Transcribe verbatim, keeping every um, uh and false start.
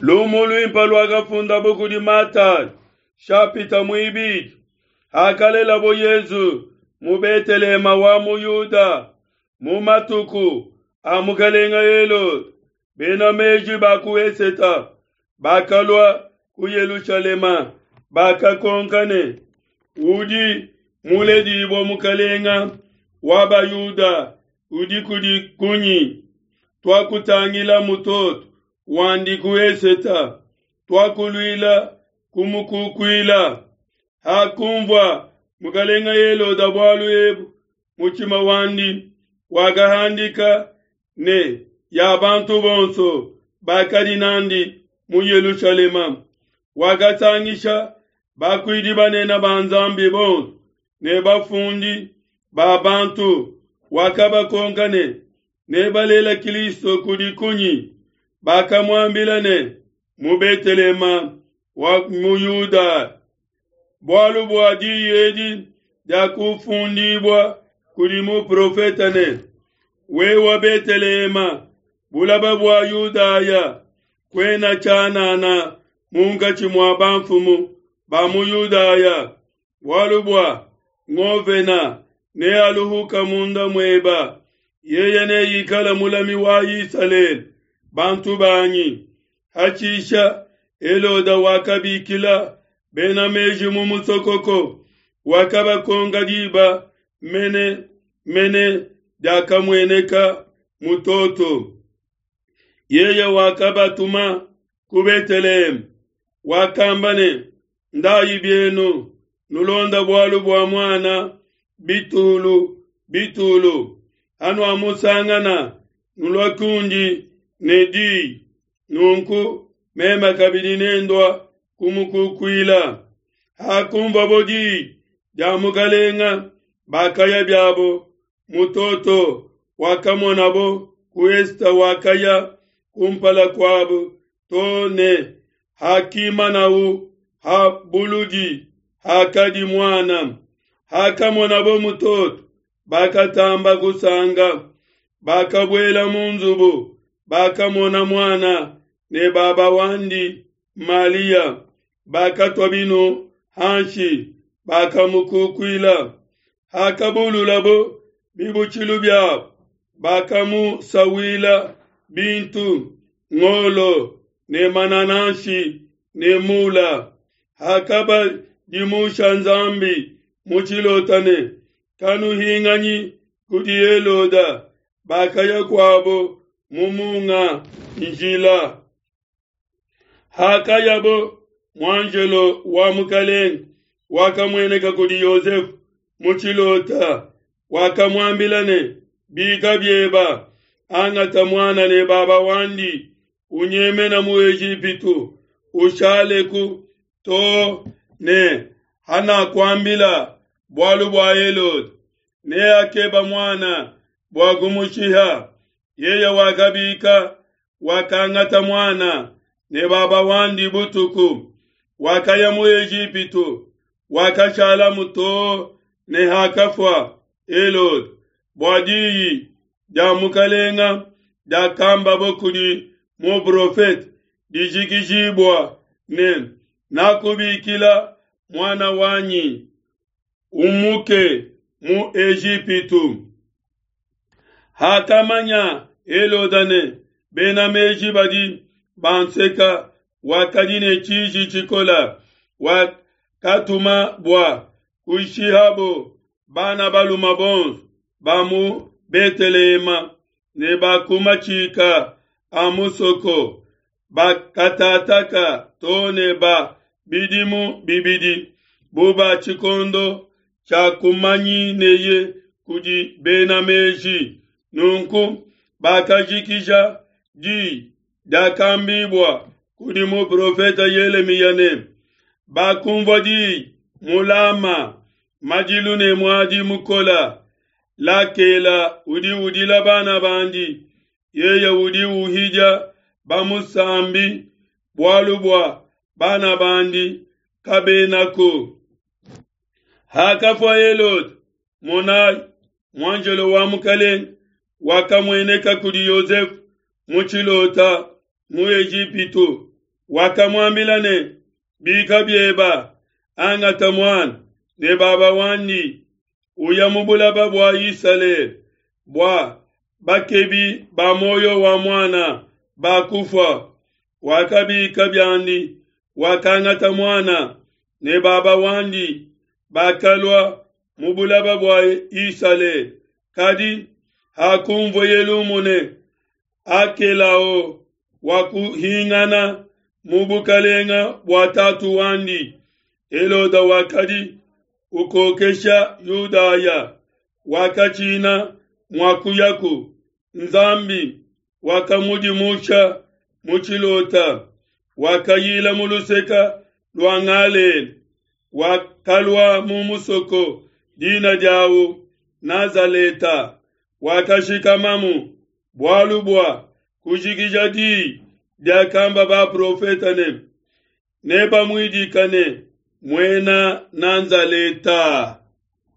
Lumu luimpe luakafundabo kudi Matayo, shapita muibidi. Hakalelabo Yesu mu Betelehema wa mu Yuda mu matuku a mukelenge Helode, bena meji ba ku eseta bakalua ku Yelushalema, bakakonka ne, udi muledibua mukelenge wa Bayuda udi kudi kunyi? Tuakutangila mutoto wandi ku eseta, tuakuluila kumukukuila. Hakunvua mukelenge Helode bualu ebu, mutshima wandi wakahandika ne ya bantu bonso bakadi nandi mu Yelushalema. Wakasangisha bakuidi banene ba Nzambi bonso ne bafundi ba bantu, wakabakonka ne, nebalela Kilisto kudi kunyi? Bakamuambila ne, mu Betelehema wa mu Yuda. Bualu bua diyi edi diakufundibua kudi muprofete ne, wewe Betelehema, bulaba bua Yudaya, kuena tshianana munkatshi mua bamfumu ba mu Yudaya, bualu bua ngovena nealuhuka munda mueba, yeye neikala mulami wa Isalele, bantu banyi. Hatshisha Helode wakabikila bena meji mu musokoko, wakabakonka diba mene mene diakamueneka mutoto. Yeye wakabatuma ku Beteleheme, wakamba ne, ndayi bienu nulonda bualu bua muana bitulu bitulu, hanuamusangana nulua kundi ne diyi, nunku meme kabidi nendua kumukukuila. Hakunvabo diyi dia mukalenga, bakaya biabo. Mutoto wakamonabo ku esita wakaya kumpala kuabo to ne hakimanau ha buludi hakadi muana. Hakamonabo mutoto, bakatamba kusanga. Bakabuela mu nzubu, bakamona muana ne baba wandi Malia, bakatua binu hanshi, bakamukukuila. Hakabululabo bibutshilu biabo, bakamusawila bintu, ngolo ne manananshi ne mula. Hakabadimusha Nzambi mu tshilota ne, kanuhinganyi kudi Helode, bakaya kuabo mu munga njila. Hakayabo, muanjelo wa mukelenge wakamueneka kudi Yosefu mu tshilota, wakamuambila ne, bika bieba, angata muana ne baba wandi, unyemena mu Ejipitu, ushaleku to ne hanakuambila bualu bua Helode, neakeba muana bua kumushiha. Yeye wakabika, wakangata muana ne baba wandi butuku, wakaya mu Ejipitu, wakashalamu to ne hakafua Helode, bua diyi dia mukalenga diakambabo kudi muprofete dijikijibua ne, nakubikila muana wanyi umuke mu Ejipitu. Hakamanya Helode ne bena meji badi banseka, wakadi ne tshiji tshikola, wakatuma bua kushihabo bana baluma bonso ba mu Betelehema ne ba ku matshika a musoko, bakatataka to ne ba bidimu bibidi bu ba tshikondo tshiakumanyineye kudi bena meji. Nunku bakajikija diyi diakambibua kudi muprofete Yelemiya ne, bakumvua diyi mu Lama, madilu ne muadi mukola. Lakela udi udila bana bandi, yeye udi uhidia bamusambi, bualu bua bana bandi kabenako. Hakafua Helode, monai, muanjelo wa mukelenge wakamueneka kudi Yosefu mu tshilota mu Ejipitu, Wakamuambila ne, Bika bieba, angata muana ne baba wandi, uya mu bulaba bua Isalele, bua bakebi ba muoyo wa muana bakufua. Wakabika biandi, wakangata muana ne baba wandi, bakalua mu bulaba bua Isalele. Kadi hakunvueye lumu ne, Akelao wakuhingana mu bukalenga bua tatu wandi, Helode wakadi ukokesha Yudaya, wakatshina mua kuyaku. Nzambi wakamudimusha mu tshilota, wakayila mu luseke lua Galela, wakalua mu musoko dina diawu Nazaleta, wakashikamamu, bualu bua kujikija diyi diakamba baprofete ne, nebamuidika ne, Muena Nazaleta.